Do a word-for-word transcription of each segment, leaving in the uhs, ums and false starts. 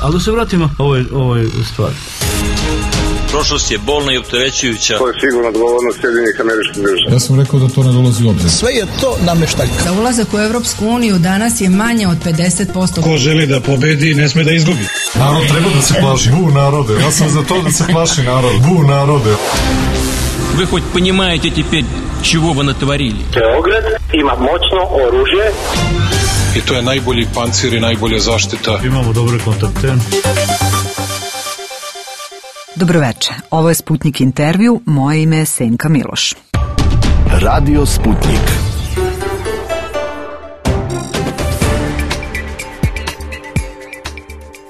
Ali da se vratimo ovoj, ovoj stvari. Prošlost je bolna i opterećujuća. To je sigurno odgovornost Sjedinjenih Američkih Država. Ja sam rekao da to ne dolazi u obzir. Sve je to nameštaljka. Za ulazak u Evropsku uniju danas je manje od pedeset posto. Ko želi da pobedi, ne sme da izgubi. Narod treba da se plaši. Bu narode. Ja sam za to da se plaši narod. Bu narode. Вы хоть понимаете теперь, чего вы натворили? Beograd ima moćno oružje. I to je najbolji pancir i najbolja zaštita. Imamo dobre kontakte. Dobroveče, ovo je Sputnik intervju, moje ime je Senka Miloš. Radio Sputnik.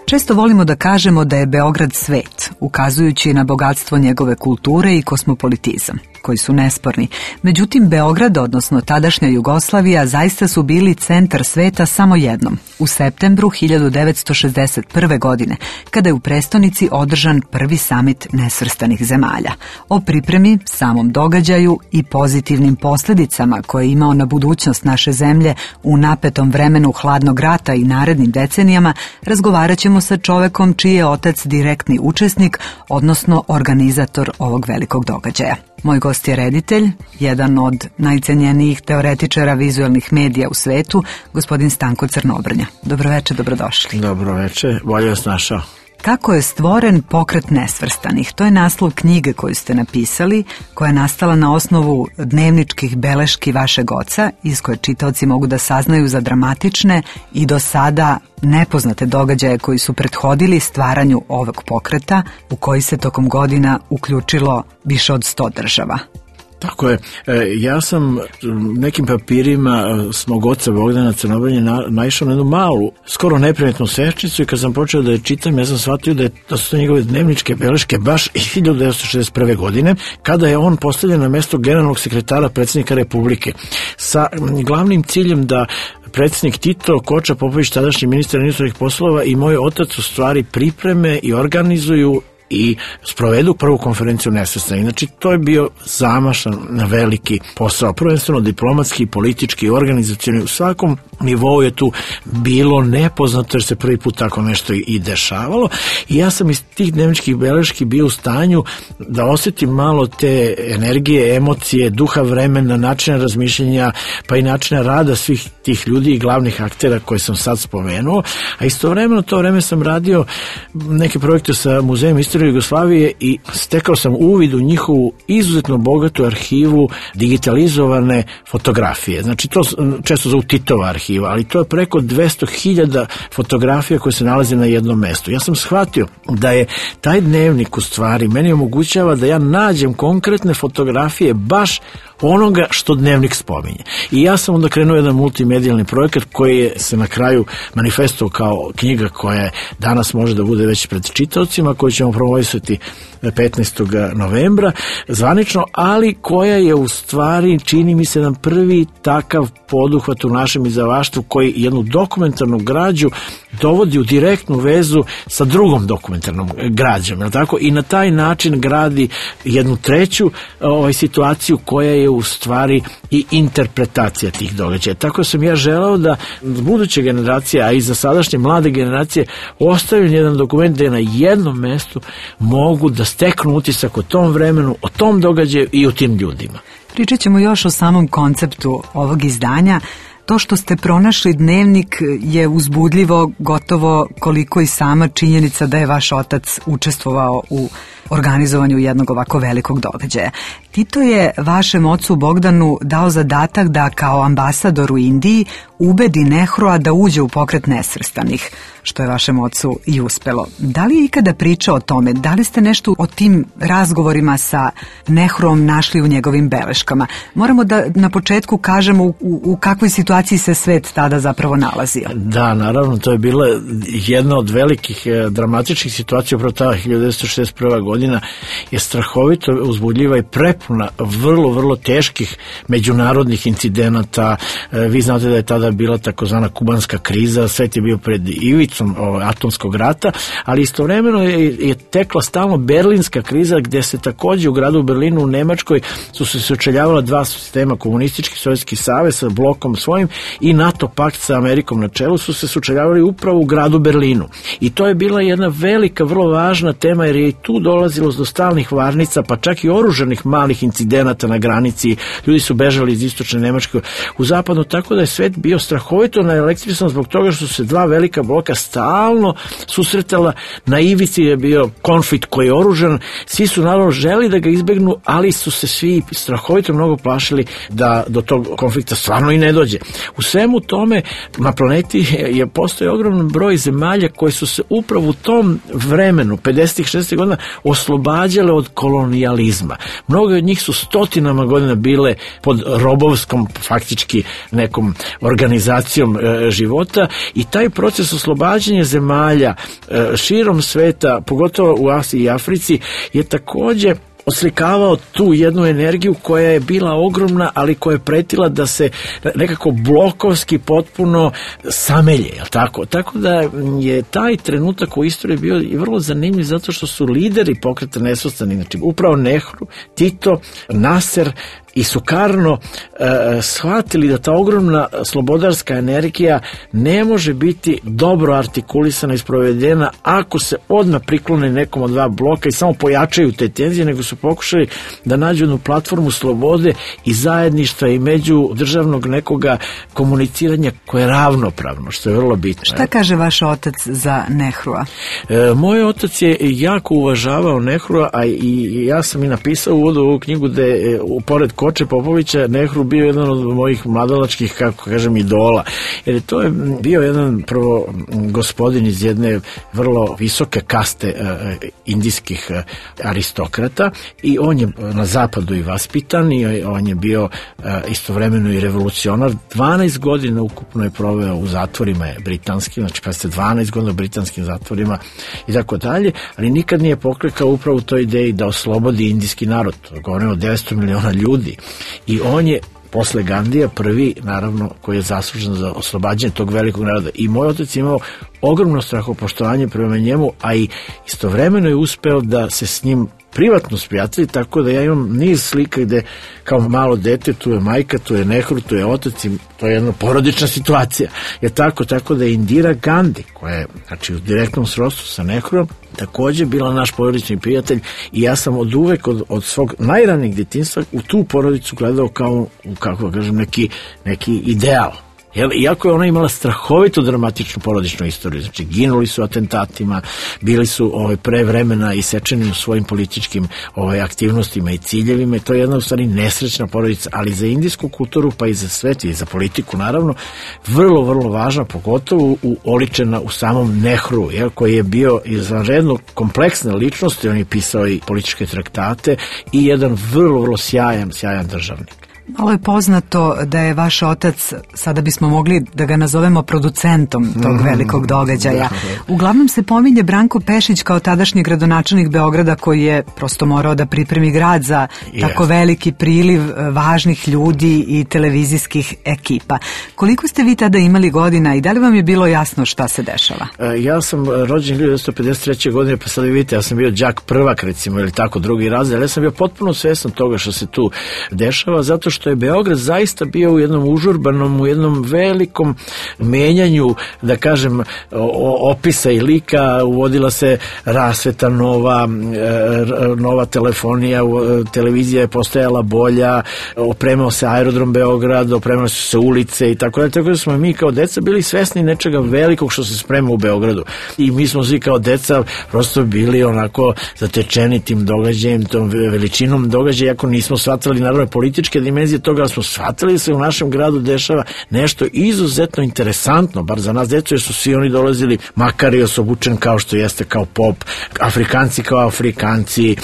Često volimo da kažemo da je Beograd svet, ukazujući na bogatstvo njegove kulture i kosmopolitizam, koji su nesporni. Međutim, Beograd, odnosno tadašnja Jugoslavija, zaista su bili centar sveta samo jednom, u septembru hiljadu devetsto šezdeset prve. godine, kada je u prestonici održan prvi samit nesvrstanih zemalja. O pripremi, samom događaju i pozitivnim posljedicama koje je imao na budućnost naše zemlje u napetom vremenu hladnog rata i narednim decenijama, razgovarat ćemo sa čovekom čiji je otac direktni učesnik, odnosno organizator ovog velikog događaja. Moj gost je reditelj, jedan od najcenjenijih teoretičara vizualnih medija u svetu, gospodin Stanko Crnobrnja. Dobroveče, dobrodošli. Dobroveče, bolje vas našao. Kako je stvoren Pokret nesvrstanih? To je naslov knjige koju ste napisali, koja je nastala na osnovu dnevničkih beleški vašeg oca, iz koje čitaoci mogu da saznaju za dramatične i do sada nepoznate događaje koji su prethodili stvaranju ovog pokreta, u koji se tokom godina uključilo više od sto država. Tako je. Ja sam nekim papirima s mog oca Bogdana Crnobrnje na, naišao na jednu malu, skoro neprimetnu sečicu i kad sam počeo da je čitam, ja sam shvatio da, je, da su to njegove dnevničke beleške baš iz hiljadu devetsto šezdeset prve. godine, kada je on postavljen na mesto generalnog sekretara predsjednika Republike, sa glavnim ciljem da predsjednik Tito, Koča Popović, tadašnji ministar inostranih poslova i moj otac u stvari pripreme i organizuju i sprovedu prvu konferenciju nesvrstanih. Znači, to je bio zamašan na veliki posao, prvenstveno diplomatski, politički, organizacioni. U svakom nivou je tu bilo nepoznato jer se prvi put tako nešto i dešavalo i ja sam iz tih dnevničkih beleški bio u stanju da osjetim malo te energije, emocije, duha vremena, načina razmišljenja, pa i načina rada svih tih ljudi i glavnih aktera koje sam sad spomenuo, a istovremeno to vreme sam radio neke projekte sa Muzejem istorije Jugoslavije i stekao sam uvid u njihovu izuzetno bogatu arhivu digitalizovane fotografije. Znači, to često zovu Titova arhiva, ali to je preko dvesta hiljada fotografija koje se nalaze na jednom mestu. Ja sam shvatio da je taj dnevnik u stvari meni omogućava da ja nađem konkretne fotografije baš onoga što dnevnik spominje. I ja sam onda krenuo jedan multimedijalni projekat koji je se na kraju manifestovao kao knjiga koja je danas može da bude već pred čitaocima, koju ćemo promovisati petnaestog novembra zvanično, ali koja je u stvari, čini mi se, jedan prvi takav poduhvat u našem izdavaštvu koji jednu dokumentarnu građu dovodi u direktnu vezu sa drugom dokumentarnom građom, je tako? I na taj način gradi jednu treću ovaj, situaciju koja je u stvari i interpretacija tih događaja. Tako sam ja želeo da buduće generacije, a i za sadašnje mlade generacije, ostavim jedan dokument gde na jednom mestu mogu da steknu utisak o tom vremenu, o tom događaju i o tim ljudima. Pričat ćemo još o samom konceptu ovog izdanja. To što ste pronašli dnevnik je uzbudljivo, gotovo koliko i sama činjenica da je vaš otac učestvovao u organizovanju jednog ovako velikog događaja. Tito je vašem ocu Bogdanu dao zadatak da kao ambasador u Indiji ubedi Nehrua da uđe u Pokret nesvrstanih, što je vašem ocu i uspelo. Da li je ikada pričao o tome? Da li ste nešto o tim razgovorima sa Nehruom našli u njegovim beleškama? Moramo da na početku kažemo u, u kakvoj situaciji se svet tada zapravo nalazio. Da, naravno, to je bila jedna od velikih eh, dramatičnih situacija, upravo ta hiljadu devetsto šezdeset prva. godina je strahovito uzbudljiva i pre prepuna vrlo, vrlo teških međunarodnih incidenata. Vi znate da je tada bila takozvana kubanska kriza, svet je bio pred ivicom atomskog rata, ali istovremeno je, je tekla stalno berlinska kriza, gde se takođe u gradu Berlinu u Nemačkoj su se sučeljavala dva sistema, komunistički Sovjetski savez sa blokom svojim i NATO pakt sa Amerikom na čelu, su se sučeljavali upravo u gradu Berlinu. I to je bila jedna velika, vrlo važna tema, jer je i tu dolazilo do stalnih varnica, pa čak i oružanih malih incidenata na granici. Ljudi su bežali iz istočne Nemačke u zapadno, tako da je svet bio strahovito naelektrisan zbog toga što su se dva velika bloka stalno susretala. Na ivici je bio konflikt koji je oružan, svi su naravno želi da ga izbegnu, ali su se svi strahovito mnogo plašili da do tog konflikta stvarno i ne dođe. U svemu tome na planeti je postoji ogroman broj zemalja koje su se upravo u tom vremenu, pedesetih šezdesetih godina, oslobađale od kolonijalizma. Mnogo od njih su stotinama godina bile pod robovskom, faktički nekom organizacijom e, života, i taj proces oslobađanja zemalja e, širom sveta, pogotovo u Asiji i Africi, je takođe oslikavao tu jednu energiju koja je bila ogromna, ali koja je pretila da se nekako blokovski potpuno samelje, je li tako? Tako da je taj trenutak u istoriji bio i vrlo zanimljiv, zato što su lideri pokreta nesvrstani, znači upravo Nehru, Tito, Naser i Sukarno e, shvatili da ta ogromna slobodarska energija ne može biti dobro artikulisana i sprovedena ako se odmah priklone nekom od dva bloka i samo pojačaju te tenzije, nego su pokušali da nađu jednu platformu slobode i zajedništva i među državnog nekoga komuniciranja koje je ravnopravno, što je vrlo bitno. Šta kaže vaš otac za Nehrua? E, moj otac je jako uvažavao Nehrua, a i ja sam i napisao u uvodu ovu knjigu da je pored Koče Popovića Nehru bio jedan od mojih mladalačkih, kako kažem, idola. Jer je to je bio jedan prvo gospodin iz jedne vrlo visoke kaste uh, indijskih uh, aristokrata, i on je na zapadu i vaspitan, i on je bio uh, istovremeno i revolucionar. dvanaest godina ukupno je proveo u zatvorima britanskim, znači pa ste dvanaest godina u britanskim zatvorima i tako dalje, ali nikad nije poklekao upravo u toj ideji da oslobodi indijski narod. Govorimo o devetsto miliona ljudi. I on je posle Gandija prvi, naravno, koji je zaslužen za oslobađanje tog velikog naroda. I moj otac je imao ogromno strahopoštovanje prema njemu, a i istovremeno je uspeo da se s njim privatno sprijatelji, tako da ja imam niz slika gde kao malo dete, tu je majka, tu je Nehru, tu je otac, i to je jedna porodična situacija. Je tako, tako da je Indira Gandhi, koja je, znači, u direktnom srodstvu sa Nehruom, takođe bila naš porodični prijatelj, i ja sam od uvek, od, od svog najranijeg djetinjstva, u tu porodicu gledao kao, kako kažem, neki, neki ideal. Jel, iako je ona imala strahovito dramatičnu porodičnu istoriju, znači ginuli su atentatima, bili su ovaj, pre vremena isečeni u svojim političkim ovaj, aktivnostima i ciljevima, i to je jedna u stvari nesrećna porodica, ali za indijsku kulturu, pa i za svet i za politiku naravno, vrlo, vrlo važna, pogotovo u, oličena u samom Nehru, jel, koji je bio izvanredno kompleksna ličnost, i on je pisao i političke traktate i jedan vrlo, vrlo sjajan, sjajan državnik. Malo je poznato da je vaš otac, sada bismo mogli da ga nazovemo producentom tog velikog događaja. Uglavnom se pominje Branko Pešić kao tadašnji gradonačelnik Beograda, koji je prosto morao da pripremi grad za tako veliki priliv važnih ljudi i televizijskih ekipa. Koliko ste vi tada imali godina i da li vam je bilo jasno šta se dešava? Ja sam rođen hiljadu devetsto pedeset treće. godine, pa sad vidite, ja sam bio đak prvak, recimo, ili tako drugi razred, ali ja sam bio potpuno svestan toga što se tu dešava, zato što što je Beograd zaista bio u jednom užurbanom, u jednom velikom menjanju, da kažem, opisa i lika. Uvodila se rasveta nova, nova telefonija, televizija je postajala bolja, opremao se aerodrom Beograd, opremao su se ulice i tako da, tako da smo mi kao deca bili svesni nečega velikog što se sprema u Beogradu. I mi smo svi kao deca prosto bili onako zatečeni tim događajem, tom veličinom događaja, iako nismo shvatali naravno političke dimenzije, dimenzije toga, smo shvatili da se u našem gradu dešava nešto izuzetno interesantno, bar za nas decu, jer su svi oni dolazili, Makarios obučen kao što jeste, kao pop, Afrikanci kao Afrikanci,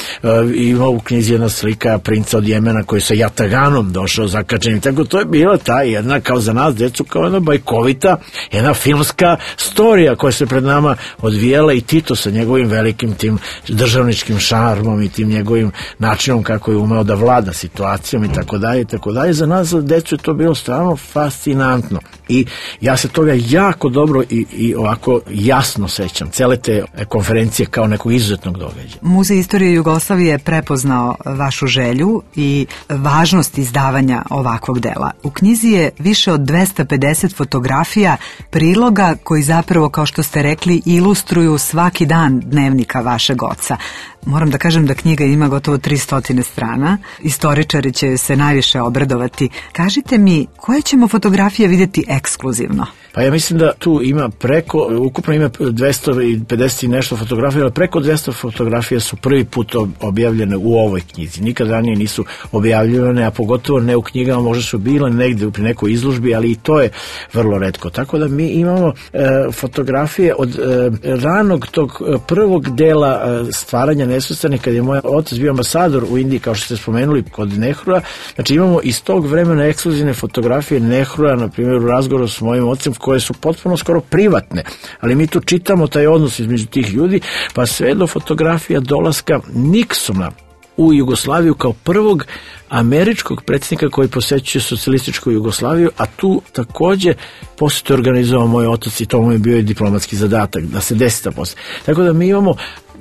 ima u knjizi jedna slika princa od Jemena koji sa jataganom došao zakačenim, tako to je bila ta jedna, kao za nas decu, kao jedna bajkovita, jedna filmska storija koja se pred nama odvijala, i Tito sa njegovim velikim tim državničkim šarmom i tim njegovim načinom kako je umeo da vlada situacijom i tako dalje i tako dalje. Za nas, za decu, je to bilo stvarno fascinantno i ja se toga jako dobro i, i ovako jasno sećam, cele te konferencije kao nekog izuzetnog događaja. Muzej istorije Jugoslavije je prepoznao vašu želju i važnost izdavanja ovakvog dela. U knjizi je više od dvesta pedeset fotografija, priloga koji zapravo, kao što ste rekli, ilustruju svaki dan dnevnika vašeg oca. Moram da kažem da knjiga ima gotovo tristo strana. Istoričari će se najviše obradovati. Kažite mi, koje ćemo fotografije vidjeti ekskluzivno? Pa ja mislim da tu ima preko, ukupno ima dvesta pedeset i nešto fotografija, ali preko dvesta fotografija su prvi put objavljene u ovoj knjizi. Nikad ranije nisu objavljene, a pogotovo ne u knjigama, možda su bile negde pri nekoj izložbi, ali i to je vrlo retko. Tako da mi imamo e, fotografije od e, ranog tog prvog dela e, stvaranja Nesvrstanih, kad je moj otac bio ambasador u Indiji, kao što ste spomenuli, kod Nehrua. Znači imamo iz tog vremena ekskluzivne fotografije Nehrua, na primjer u razgovoru s mojim ocem, koje su potpuno skoro privatne, ali mi tu čitamo taj odnos između tih ljudi, pa sve do fotografija dolaska Niksona u Jugoslaviju kao prvog američkog predsjednika koji posećuje socijalističku Jugoslaviju, a tu takođe posjetu je organizovao moj otac i to mu je bio i diplomatski zadatak da se desi ta posjeta. Tako da mi imamo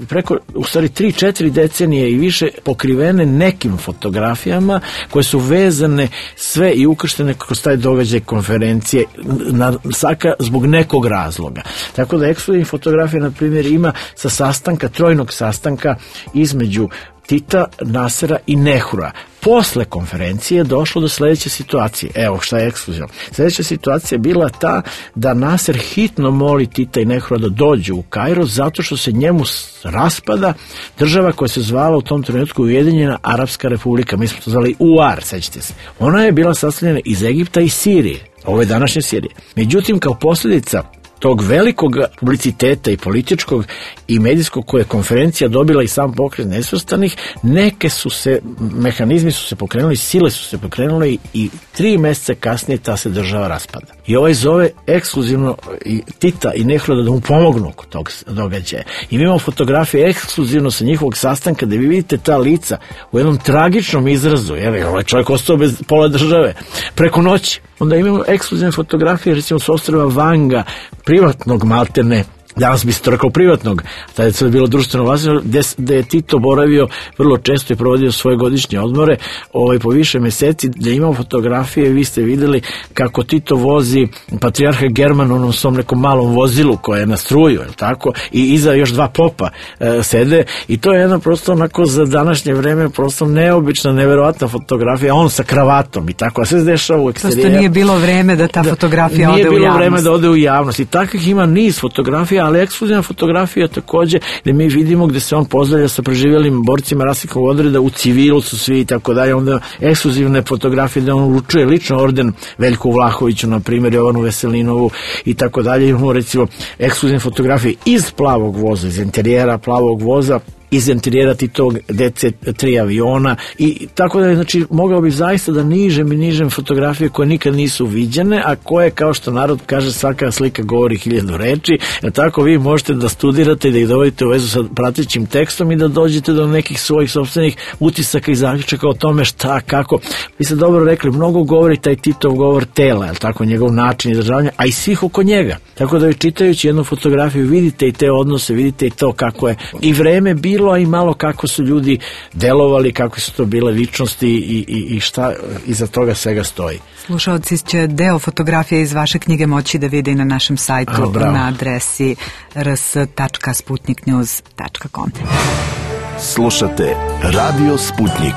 preko, u stvari, tri četiri decenije i više pokrivene nekim fotografijama koje su vezane sve i ukrštene kroz taj događaj konferencije na, svaka zbog nekog razloga. Tako da ekskluzivnih fotografija, na primjer, ima sa sastanka, trojnog sastanka između Tita, Nasera i Nehrua. Posle konferencije je došlo do sledeće situacije. Evo šta je ekskluzivno. Sledeća situacija je bila ta da Naser hitno moli Tita i Nehrua da dođu u Kairo zato što se njemu raspada država koja se zvala u tom trenutku Ujedinjena Arapska Republika. Mi smo to zvali U A R, sećate se. Ona je bila sastavljena iz Egipta i Sirije. Ovo je današnje Sirije. Međutim, kao posljedica tog velikog publiciteta i političkog i medijskog koje je konferencija dobila i sam pokret Nesvrstanih, neke su se, mehanizmi su se pokrenuli, sile su se pokrenule i, i tri meseca kasnije ta se država raspada. I ovaj zove ekskluzivno i Tita i Nehrua da mu pomognu kod tog događaja. I mi imamo fotografije ekskluzivno sa njihovog sastanka da vi vidite ta lica u jednom tragičnom izrazu, jer ovaj čovjek ostao bez pola države preko noći. Onda imamo ekskluzivne fotografije, recimo s ostrva Vanga, privatnog maltene, danas bi se to rekao privatnog, tada je to bilo društveno vlasništvo, gde, gde je Tito boravio vrlo često i provodio svoje godišnje odmore ovaj, po više meseci, gde imamo fotografije, vi ste videli kako Tito vozi patrijarha Germana u onom svom nekom malom vozilu koje je na struju, je tako? I iza još dva popa e, sede i to je jedna prosto onako za današnje vreme prosto neobična, neverovatna fotografija, on sa kravatom i tako, a sve se dešava u eksterijeru. Prosto nije bilo vreme da ta fotografija da, ode u javnost. Nije bilo vreme da ode u javnost i takvih ima niz fotografija, ali ekskluzivna fotografija takođe gde mi vidimo gde se on pozdravlja sa preživjelim borcima Rasnikovog odreda, u civilu su svi i tako dalje, onda ekskluzivne fotografije gde on uručuje lično orden Veljku Vlahoviću, na primjer Jovanu Veselinovu i tako dalje. Imamo recimo ekskluzivne fotografije iz plavog voza, iz interijera plavog voza, iz interijera Titovog D C tri aviona i tako da, znači, mogao bi zaista da nižem i nižem fotografije koje nikad nisu viđene, a koje, kao što narod kaže, svaka slika govori hiljadu reči, jer tako vi možete da studirate i da ih dovodite u vezu sa pratećim tekstom i da dođete do nekih svojih sopstvenih utisaka i zaključaka o tome šta, kako. Vi ste dobro rekli, mnogo govori taj Titov govor tela, je tako, njegov način izražavanja, a i svih oko njega. Tako da vi čitajući jednu fotografiju vidite i te odnose, vidite i to kako je i vreme bilo, a i malo kako su ljudi delovali, kako su to bile ličnosti i, i, i šta iza toga svega stoji. Slušalci će deo fotografije iz vaše knjige moći da vide i na našem sajtu A, na adresi r s tačka sputnik news tačka com. Slušate Radio Sputnik.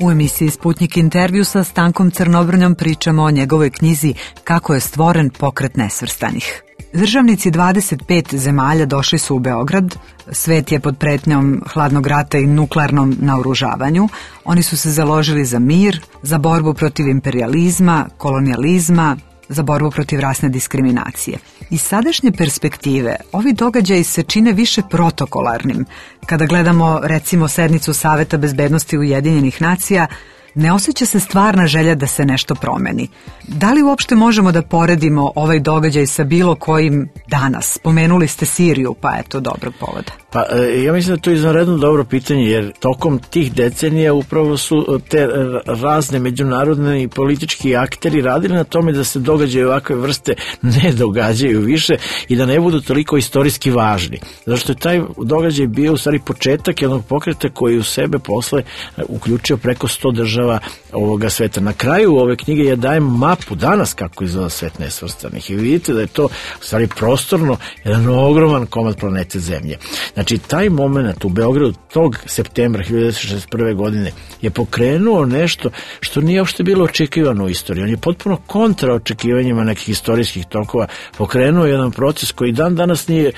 U emisiji Sputnik intervju sa Stankom Crnobrnjom pričamo o njegovoj knjizi Kako je stvoren pokret nesvrstanih. Državnici dvadeset pet zemalja došli su u Beograd. Svet je pod pretnjom hladnog rata i nuklearnom naoružavanju. Oni su se založili za mir, za borbu protiv imperijalizma, kolonijalizma, za borbu protiv rasne diskriminacije. Iz sadašnje perspektive ovi događaji se čine više protokolarnim. Kada gledamo recimo sednicu Saveta bezbednosti Ujedinjenih nacija, ne osjeća se stvarna želja da se nešto promeni. Da li uopšte možemo da poredimo ovaj događaj sa bilo kojim danas? Spomenuli ste Siriju, pa eto dobrog povoda. Pa ja mislim da je to izvanredno dobro pitanje, jer tokom tih decenija upravo su te razne međunarodne i politički akteri radili na tome da se događaje ovakve vrste ne događaju više i da ne budu toliko istorijski važni. Zato što je taj događaj bio u stvari početak jednog pokreta koji u sebe posle uključio preko sto država ovoga sveta. Na kraju ove knjige ja dajem mapu danas kako izgleda svet nesvrstanih i vidite da je to u stvari prostorno jedan ogroman komad planete Zemlje. Znači, taj moment u Beogradu tog septembra hiljadu devetsto šezdeset prve. godine je pokrenuo nešto što nije uopšte bilo očekivano u istoriji. On je potpuno kontra očekivanjima nekih istorijskih tokova pokrenuo jedan proces koji dan danas nije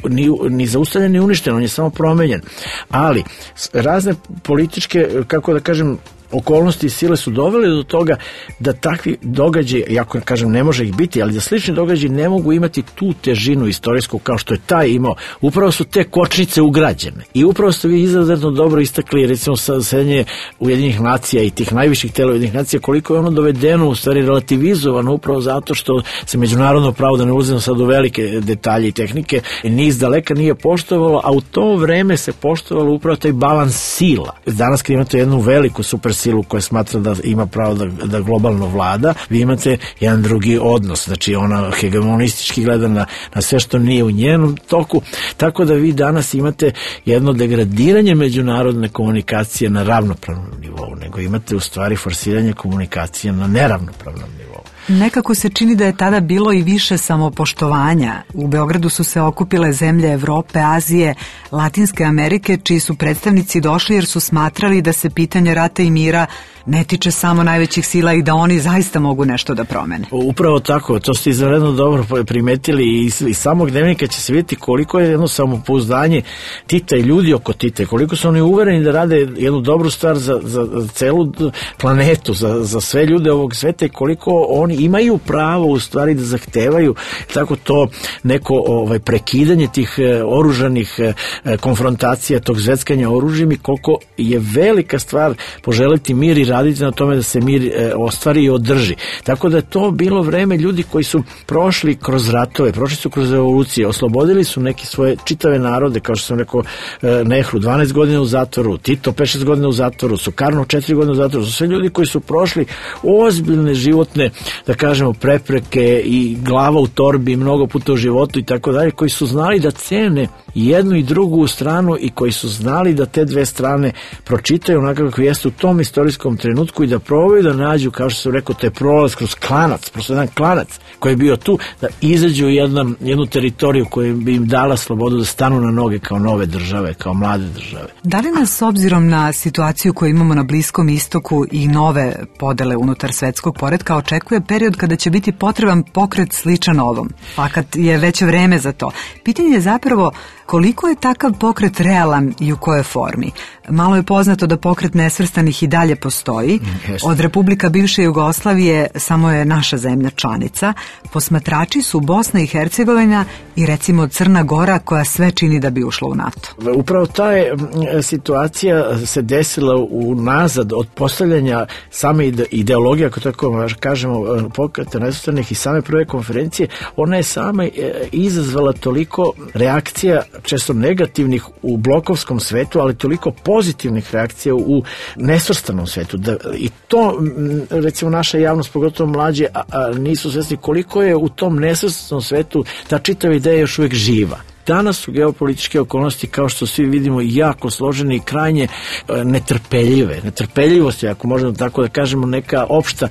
ni, ni zaustavljen ni uništen, on je samo promenjen. Ali razne političke, kako da kažem, okolnosti i sile su dovele do toga da takvi događaji, jako kažem ne može ih biti, ali da slični događaji ne mogu imati tu težinu istorijsku kao što je taj imao. Upravo su te kočnice ugrađene. I upravo ste vi izuzetno dobro istakli, recimo sasenje Ujedinjenih nacija i tih najviših tela Ujedinjenih nacija, koliko je ono dovedeno, u stvari relativizovano upravo zato što se međunarodno pravo, da ne ulazimo sad u velike detalje i tehnike, niz daleka nije poštovalo, a u to vreme se poštovalo upravo taj balans sila. Danas kad imate jednu veliku super silu koja smatra da ima pravo da, da globalno vlada, vi imate jedan drugi odnos, znači ona hegemonistički gleda na, na sve što nije u njenom toku, tako da vi danas imate jedno degradiranje međunarodne komunikacije na ravnopravnom nivou, nego imate u stvari forsiranje komunikacije na neravnopravnom nivou. Nekako se čini da je tada bilo i više samopoštovanja. U Beogradu su se okupile zemlje Evrope, Azije, Latinske Amerike, čiji su predstavnici došli jer su smatrali da se pitanje rata i mira ne tiče samo najvećih sila i da oni zaista mogu nešto da promene. Upravo tako, to ste izvanredno dobro primetili i iz samog dnevnika će se vidjeti koliko je jedno samopouzdanje Tita i ljudi oko Tite, koliko su oni uvereni da rade jednu dobru stvar za, za celu planetu, za, za sve ljude ovog sveta i koliko oni imaju pravo u stvari da zahtevaju tako to neko ovaj, prekidanje tih e, oružanih e, konfrontacija, tog zveckanja oružjem i koliko je velika stvar poželiti mir i raditi na tome da se mir e, ostvari i održi. Tako da je to bilo vreme ljudi koji su prošli kroz ratove, prošli su kroz revolucije, oslobodili su neki svoje čitave narode, kao što sam rekao e, Nehru, dvanaest godina u zatvoru, Tito pet šest godina u zatvoru, Sukarno četiri godine u zatvoru, su sve ljudi koji su prošli ozbiljne životne, da kažemo, prepreke i glava u torbi mnogo puta u životu i tako dalje, koji su znali da cene jednu i drugu stranu i koji su znali da te dve strane pročitaju onako kako jeste u tom istorijskom trenutku i da probaju da nađu, kao što sam rekao, to je prolaz kroz klanac, prosto jedan klanac koji je bio tu, da izađu u jednom, jednu teritoriju koja bi im dala slobodu da stanu na noge kao nove države, kao mlade države. Da li nas, s obzirom na situaciju koju imamo na Bliskom istoku i nove podele unutar svetskog poretka, očekuje period kada će biti potreban pokret sličan ovom? Fakat je već vreme za to. Pitanje je zapravo koliko je takav pokret realan i u kojoj formi. Malo je poznato da pokret nesvrstanih i dalje postoji. Od Republika bivše Jugoslavije samo je naša zemlja članica. Posmatrači su Bosna i Hercegovina i recimo Crna Gora, koja sve čini da bi ušla u NATO. Upravo ta je situacija se desila unazad od postavljanja same ideologije, ako tako kažemo, pokreta nesvrstanih i same prve konferencije. Ona je sama izazvala toliko reakcija, često negativnih u blokovskom svetu, ali toliko pozitivnih reakcija u nesvrstanom svetu. Da, i to, recimo, naša javnost, pogotovo mlađe, a, a nisu svesni koliko je u tom nesvrstanom svetu ta čitava ideja još uvijek živa. Danas su geopolitičke okolnosti, kao što svi vidimo, jako složene i krajnje e, netrpeljive. Netrpeljivost je, ako možemo tako da kažemo, neka opšta e,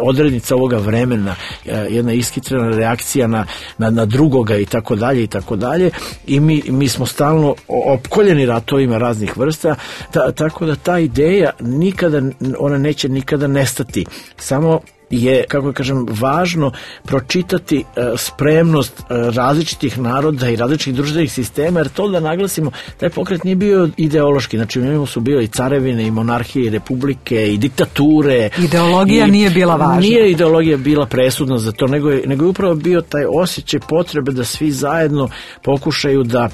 odrednica ovoga vremena, e, jedna iskitrena reakcija na, na, na drugoga i tako dalje i tako dalje. I mi, mi smo stalno opkoljeni ratovima raznih vrsta, ta, tako da ta ideja nikada, ona neće nikada nestati. Samo je, kako kažem, važno pročitati spremnost različitih naroda i različitih društvenih sistema, jer to da naglasimo, taj pokret nije bio ideološki, znači u njemu su bio i carevine, i monarhije, i republike, i diktature. Ideologija i, nije bila važna. Nije ideologija bila presudna za to, nego je, nego je upravo bio taj osjećaj potrebe da svi zajedno pokušaju da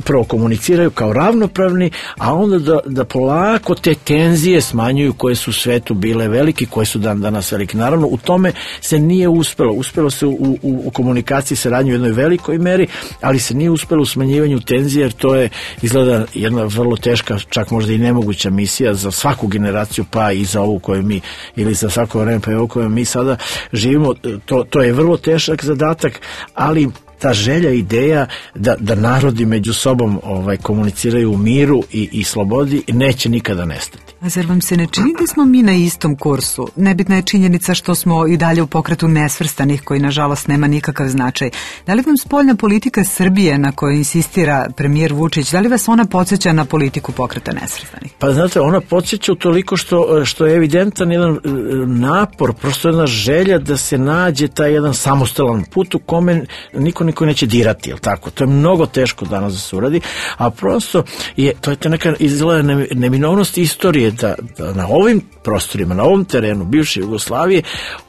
prvo komuniciraju kao ravnopravni, a onda da, da polako te tenzije smanjuju koje su u svetu bile velike, koje su dan danas velike. Naravno, u tome se nije uspelo. Uspelo se u, u, u komunikaciji saradnju u jednoj velikoj meri, ali se nije uspelo u smanjivanju tenzije, jer to je izgleda jedna vrlo teška, čak možda i nemoguća misija za svaku generaciju, pa i za ovu koju mi, ili za svako vreme pa i ovu koju mi sada živimo. To, to je vrlo težak zadatak, ali ta želja, ideja da, da narodi među sobom ovaj, komuniciraju u miru i, i slobodi neće nikada nestati. A zar vam se ne čini da smo mi na istom kursu? Nebitna je činjenica što smo i dalje u pokretu nesvrstanih, koji nažalost nema nikakav značaj. Da li vam spoljna politika Srbije na kojoj insistira premijer Vučić, da li vas ona podsjeća na politiku pokreta nesvrstanih? Pa znate, ona podsjeća utoliko što, što je evidentan jedan napor, prosto jedna želja da se nađe taj jedan samostalan put u kome niko niko neće dirati, jel tako? To je mnogo teško danas da se uradi, a prosto je, to je ta neka izgleda neminovnost istorije da, da na ovim prostorima, na ovom terenu bivše Jugoslavije,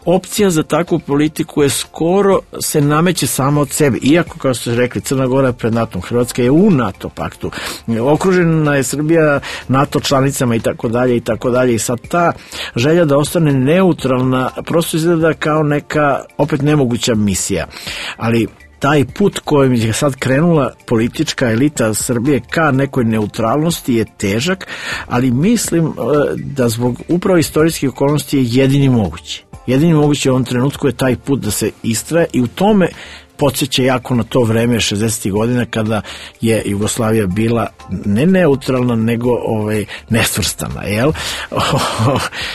opcija za takvu politiku je skoro se nameće sama od sebe. Iako, kao ste rekli, Crna Gora je pred NATO-om, Hrvatska je u NATO paktu, okružena je Srbija NATO članicama i tako dalje i tako dalje, i sad ta želja da ostane neutralna prosto izgleda kao neka opet nemoguća misija. Ali taj put kojim je sad krenula politička elita Srbije ka nekoj neutralnosti je težak, ali mislim da zbog upravo istorijskih okolnosti je jedini mogući. Jedini mogući u ovom trenutku je taj put da se istraje, i u tome podsjeća jako na to vreme šezdesetih godina kada je Jugoslavija bila ne neutralna, nego ovaj, nesvrstana, jel?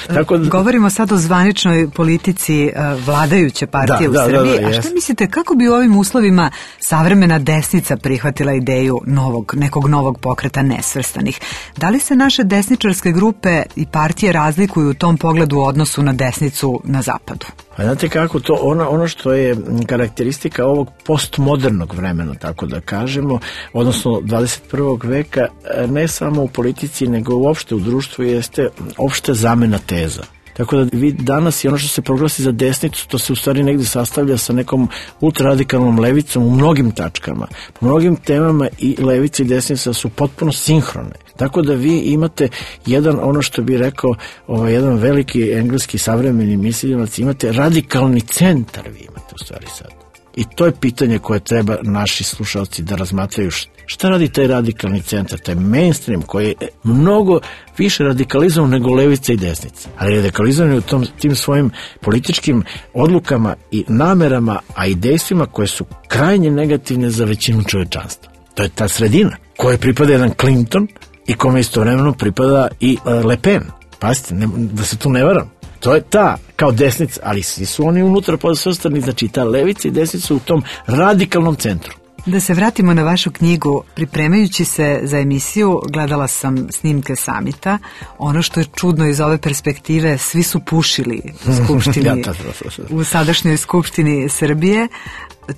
Tako da... Govorimo sad o zvaničnoj politici uh, vladajuće partije da, u da, Srbiji. Da, da, A šta jest. mislite, kako bi u ovim uslovima savremena desnica prihvatila ideju novog, nekog novog pokreta nesvrstanih? Da li se naše desničarske grupe i partije razlikuju u tom pogledu u odnosu na desnicu na zapadu? A znate kako to, ono, ono što je karakteristika ovog postmodernog vremena, tako da kažemo, odnosno dvadeset prvog veka, ne samo u politici, nego uopšte u društvu, jeste opšta zamena teza. Tako da vi danas i ono što se proglasi za desnicu, to se u stvari negdje sastavlja sa nekom ultraradikalnom levicom u mnogim tačkama. Po mnogim temama i levica i desnica su potpuno sinhrone. Tako da vi imate jedan, ono što bi rekao, ovaj, jedan veliki engleski savremeni mislilac, imate radikalni centar, vi imate u stvari sad. I to je pitanje koje treba naši slušalci da razmatraju. Šta radi taj radikalni centar, taj mainstream koji je mnogo više radikalizovan nego levica i desnica. Ali radikalizovan je u tom, tim svojim političkim odlukama i namerama, a i dejstvima koje su krajnje negativne za većinu čovečanstva. To je ta sredina koje pripada jedan Clinton i kome istovremeno pripada i uh, Le Pen. Pazite, ne, da se tu ne varam. To je ta, kao desnica, ali svi su oni unutra podsvrstani, znači ta levica i desnica su u tom radikalnom centru. Da se vratimo na vašu knjigu, pripremajući se za emisiju, gledala sam snimke samita. Ono što je čudno iz ove perspektive, svi su pušili u skupštini, ja, to, to, to, to. u sadašnjoj skupštini Srbije.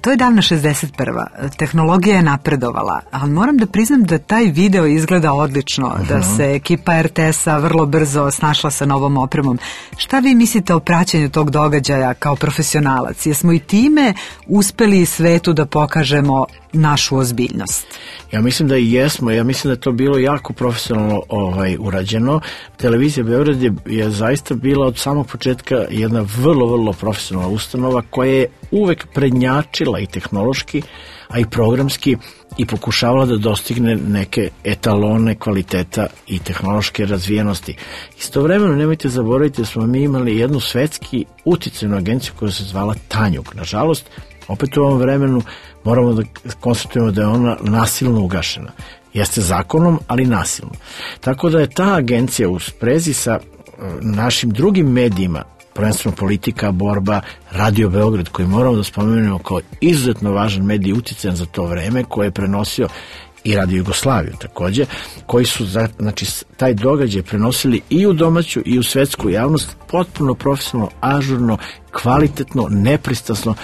To je davna šezdeset prva. Tehnologija je napredovala, ali moram da priznam da taj video izgleda odlično, uh-huh. da se ekipa er te es-a vrlo brzo snašla sa novom opremom. Šta vi mislite o praćenju tog događaja kao profesionalac? Jesmo i time uspeli svetu da pokažemo našu ozbiljnost? Ja mislim da i jesmo, ja mislim da je to bilo jako profesionalno ovaj, urađeno. Televizija Beograd je, je zaista bila od samog početka jedna vrlo, vrlo profesionalna ustanova koja je uvek prednjačila i tehnološki, a i programski, i pokušavala da dostigne neke etalone kvaliteta i tehnološke razvijenosti. Istovremeno nemojte zaboraviti da smo mi imali jednu svetski uticajnu agenciju koja se zvala Tanjug. Nažalost, opet u ovom vremenu moramo da konstatujemo da je ona nasilno ugašena. Jeste zakonom, ali nasilno. Tako da je ta agencija u sprezi sa našim drugim medijima, prvenstveno Politika, Borba, Radio Beograd, koji moramo da spomenemo kao izuzetno važan medij uticajan za to vreme, koji je prenosio i Radio Jugoslaviju takođe, koji su znači, taj događaj prenosili i u domaću i u svetsku javnost potpuno profesionalno, ažurno, kvalitetno, nepristrasno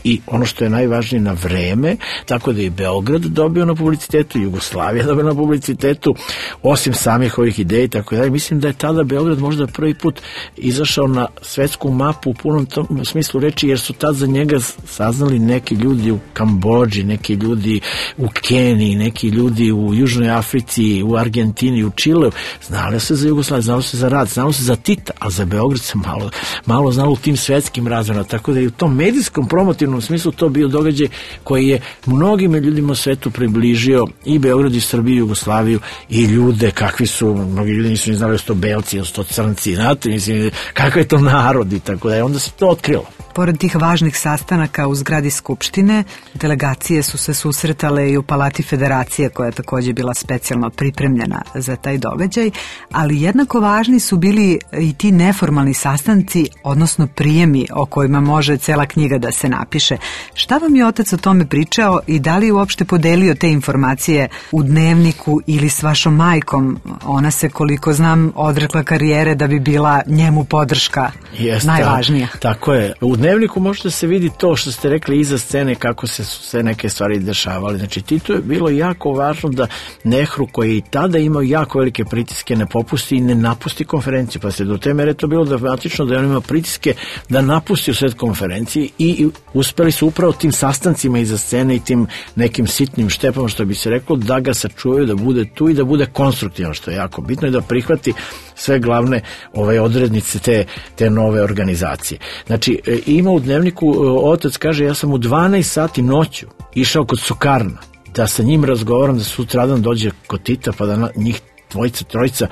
i ono što je najvažnije na vreme, tako da je Beograd dobio na publicitetu, Jugoslavija dobio na publicitetu, osim samih ovih ideja i tako dalje. Mislim da je tada Beograd možda prvi put izašao na svetsku mapu u punom tom smislu reči, jer su tad za njega saznali neki ljudi u Kambodži, neki ljudi u Keniji, neki ljudi u Južnoj Africi, u Argentini, u Čileu. Znalo se za Jugoslaviju, znalo se za rad, znalo se za Tita, a za Beograd se malo, malo znalo u tim svetskim razvorima, tako da je u tom medijskom promotivnom u smislu to bio događaj koji je mnogim ljudima u svetu približio i Beograd i Srbiju, Jugoslaviju i ljude kakvi su, mnogi ljudi nisu ni znali da su to belci, da su to crnci, znate, mislim, kakav je to narod i tako da je, onda se to otkrilo. Pored tih važnih sastanaka u zgradi Skupštine, delegacije su se susretale i u Palati Federacije, koja je takođe bila specijalno pripremljena za taj događaj, ali jednako važni su bili i ti neformalni sastanci, odnosno prijemi o kojima može cela knjiga da se napiše. Šta vam je otac o tome pričao i da li je uopšte podelio te informacije u dnevniku ili s vašom majkom? Ona se, koliko znam, odrekla karijere da bi bila njemu podrška Jeste, najvažnija. Tako je. U dnevniku možete se vidi to što ste rekli iza scene, kako se sve neke stvari dešavali. Znači, Tito je bilo jako važno da Nehru, koji je i tada imao jako velike pritiske, ne popusti i ne napusti konferenciju. Pa se do te mere to bilo dramatično da je on imao pritiske da napusti u sred konferenciji i uspeli su upravo tim sastancima iza scene i tim nekim sitnim štepama, što bi se reklo, da ga sačuvaju, da bude tu i da bude konstruktivno, što je jako bitno, i da prihvati sve glavne ove odrednice te, te nove organizacije. Znači, ima u dnevniku, otac kaže, ja sam u dvanaest sati noću išao kod Sukarna, da sa njim razgovaram, da sutradan dođe kod Tita, pa da na, njih dvojica, trojica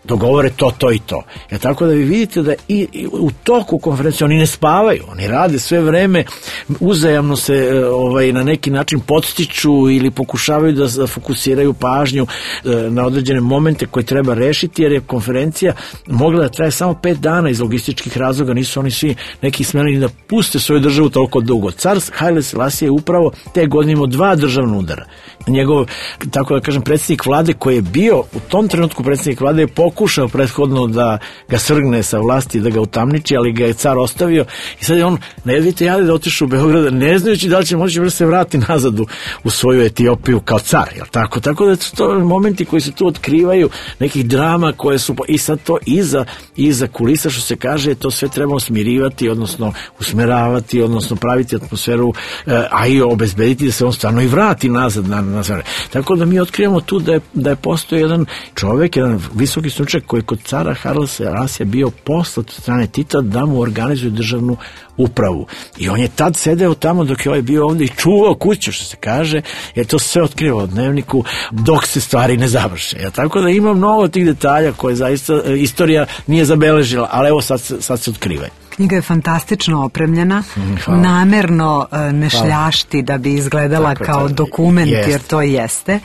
dogovore to, to i to. Ja, tako da vi vidite da i, i u toku konferencije oni ne spavaju, oni rade sve vreme, uzajamno se ovaj, na neki način podstiču ili pokušavaju da, da fokusiraju pažnju na određene momente koje treba rešiti, jer je konferencija mogla da traje samo pet dana iz logističkih razloga, nisu oni svi neki smeli da puste svoju državu toliko dugo. Car Haile Selassie je upravo te godine imao dva državna udara. Njegov, tako da kažem, predsjednik vlade koji je bio u tom trenutku predsjednik vlade je pokušao prethodno da ga svrgne sa vlasti, da ga utamniči, ali ga je car ostavio i sad je on, ne vidite, jade da otišu u Beograda, ne znajući da li će moći da se vrati nazad u, u svoju Etiopiju kao car, jel tako? Tako da su to momenti koji se tu otkrivaju, nekih drama koje su, i sad to iza, iza kulisa, što se kaže, to sve trebamo smirivati, odnosno usmeravati, odnosno praviti atmosferu, a i obezbediti da se on stvarno i vrati nazad na, na sve. Tako da mi otkrivamo tu da je, da je postoji jedan čovek, jedan visoki stručnjak koji je kod cara Haile Selassija bio poslat od strane Tita da mu organizuje državnu upravu. I on je tad sedeo tamo dok je ovaj bio ovdje i čuvao kuću, što se kaže, jer to sve otkrivao u dnevniku dok se stvari ne završe. Ja, tako da ima mnogo tih detalja koje zaista istorija nije zabeležila, ali evo sad, sad se otkrivaju. Knjiga je fantastično opremljena, Hvala. namerno ne šljašti da bi izgledala tako, kao dokument, jest. jer to jeste.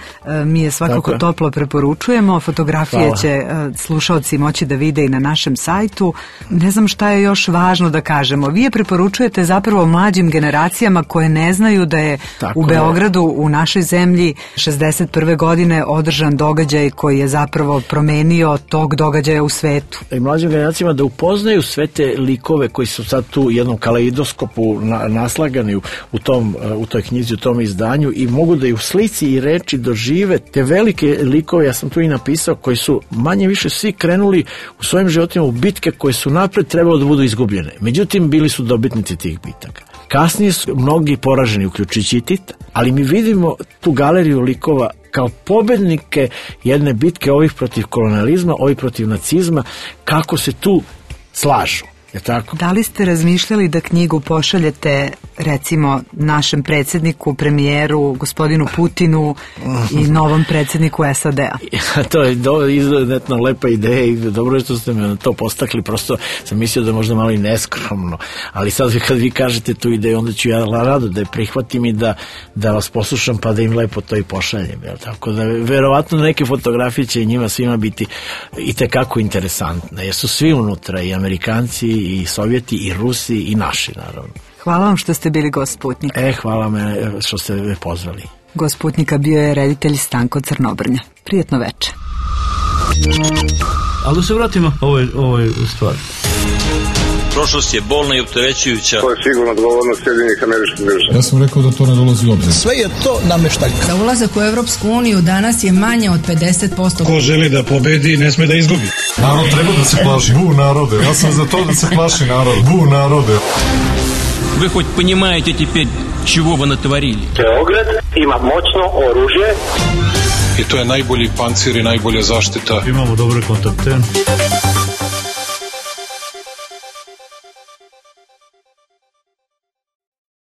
Mi je svakako tako. toplo preporučujemo, fotografije Hvala. će slušalci moći da vide i na našem sajtu. Ne znam šta je još važno da kažemo. Vi je preporučujete zapravo mlađim generacijama koje ne znaju da je tako u Beogradu, je. u našoj zemlji, šezdeset prve godine održan događaj koji je zapravo promenio tog događaja u svetu. I mlađim generacijama da upoznaju sve te likove koji su sad tu u jednom kaleidoskopu na, naslagani u, u, tom, u toj knjizi, u tom izdanju, i mogu da i u slici i reči dožive te velike likove, ja sam tu i napisao, koji su manje više svi krenuli u svojim životima u bitke koje su napred trebalo da budu izgubljene. Međutim, bili su dobitnici tih bitaka. Kasnije su mnogi poraženi, uključujući i Tita, ali mi vidimo tu galeriju likova kao pobednike jedne bitke, ovih protiv kolonijalizma, ovih protiv nacizma, kako se tu slažu. Je tako? Da li ste razmišljali da knjigu pošaljete, recimo, našem predsjedniku, premijeru, gospodinu Putinu i novom predsjedniku S A D-a? To je do, izuzetno lepa ideja i dobro je što ste me na to postakli, prosto sam mislio da možda malo i neskromno, ali sad kad vi kažete tu ideju, onda ću ja rado da je prihvatim i da, da vas poslušam, pa da im lepo to i pošaljem. Jel? Tako da verovatno neke fotografije će njima svima biti i tekako interesantne, jer su svi unutra, i Amerikanci, i Sovjeti, i Rusi, i naši, naravno. Hvala vam što ste bili gost Sputnika. E, hvala me što ste me pozvali. Gost Sputnika bio je reditelj Stanko Crnobrnja. Prijetno veče. Ali da se vratimo ovoj, ovoj stvari. Prošlost je bolna i opterećujuća. To je sigurno odgovornost Sjedinjenih Američkih Država. Ja sam rekao da to ne dolazi u obzir. Sve je to nameštaljka. Za ulazak u Evropsku uniju danas je manje od pedeset posto. Ko želi da pobedi, ne sme da izgubi. Narod treba da se plaši. Bu narode. Ja sam za to da se plaši narod. Bu narode. Вы хоть понимаете теперь, чего вы натворили? Beograd ima moćno oružje. I to je najbolji pancir i najbolja zaštita. Imamo dobre kontakte.